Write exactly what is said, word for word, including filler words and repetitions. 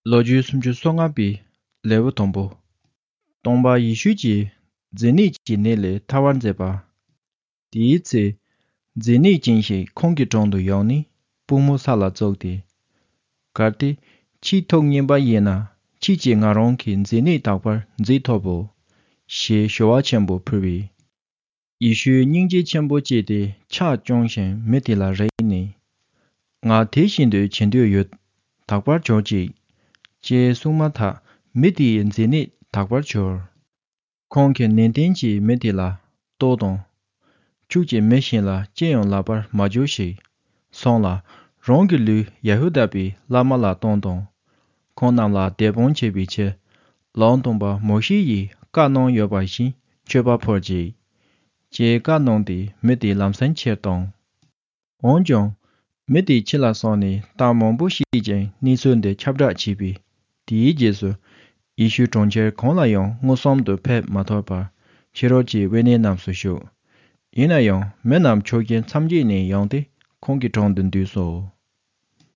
ལོ་རྒྱུས་སུམ་ཅུ་སོ་ལྔ་པའི་ལེའུ་དང་པོ། སྟོན་པ་ཡེ་ཤུ་གྱིས་མཛེ་ནད་ཀྱི་ནད་ལས་ཐར་བར་མཛད་པ། དེའི་ཚེ། མཛེ་ནད་ཅན་ཞིག་ཁོང་གི་དྲུང་དུ་ཡོང་ནས་པུས་མོ་ས་ལ་བཙུགས་ཏེ། གལ་ཏེ། ཁྱེད་ཐུགས་མཉེས་པ་ཡིན་ན། ཁྱེད་ཀྱིས་ང་རང་གི་མཛེ་ནད་དག་པར་མཛད་ཐུབ་བོ། ཞེས་ཞུ་བ་ཆེན་པོ་ཕུལ་བས། ཡེ་ཤུས་སྙིང་རྗེ་ཆེན་པོ་སྐྱེས་ཏེ་ཕྱག་བརྐྱངས་ཤིང་མི་དེ་ལ་རེག་ནས། ང་དེ་བཞིན་དུ་བྱེད་འདོད་ཡོད། དག་པར་གྱུར་ཅིག། ཅེས་གསུངས་མ་ཐག་མི་དེའི་མཛེ་ནད་དག་པར་གྱུར། ཁོང་གིས་ནན་ཏན་གྱིས་མི་དེ་ལ། ལྟོས་དང་། ཁྱོད་ཀྱིས་མི་གཞན་ལ་ཅི་ཡང་ལབ་པར་མ་འགྱུར་ཞིག། སོང་ལ། རང་གི་ལུས་ཡ་ཧུ་དཱ་པའི་བླ་མ་ལ་གཏོང་དང་། ཁོང་རྣམས་ལ་དད་པ་བྱེད་པའི་ཕྱིར། ལམ་སྟོན་པ་མོ་ཤེ་ཡིས་བཀའ་གནང་ཡོད་པ་བཞིན་མཆོད་པ་ཕུལ་ཅིག། ཅེས་བཀའ་གནང་སྟེ་མི་དེ་ལམ་སེང་ཁྱེར་བཏང་། འོན་ཀྱང་། མི་དེ་ཕྱི་ལ་སོང་ནས་གཏམ་མང་པོ་བཤད་ཅིང་གནས་ཚུལ་འདི་ཁྱབ་བསྒྲགས་བྱས་པས། དེའི་རྗེས་སུ། ཡེ་ཤུ་གྲོང་ཁྱེར་གང་ལ་ཡང་མངོན་སུམ་དུ་ཕེབས་མ་ཐུབ་པར། ཕྱི་རོལ་གྱི་དབེན་གནས་རྣམས་སུ་བཞུགས། ཡིན་ན་ཡང་མི་རྣམས་ཕྱོགས་ཀྱི་མཚམས་བརྒྱད་ནས་ཡོང་སྟེ་ཁོང་གི་དྲུང་དུ་འདུས་སོ།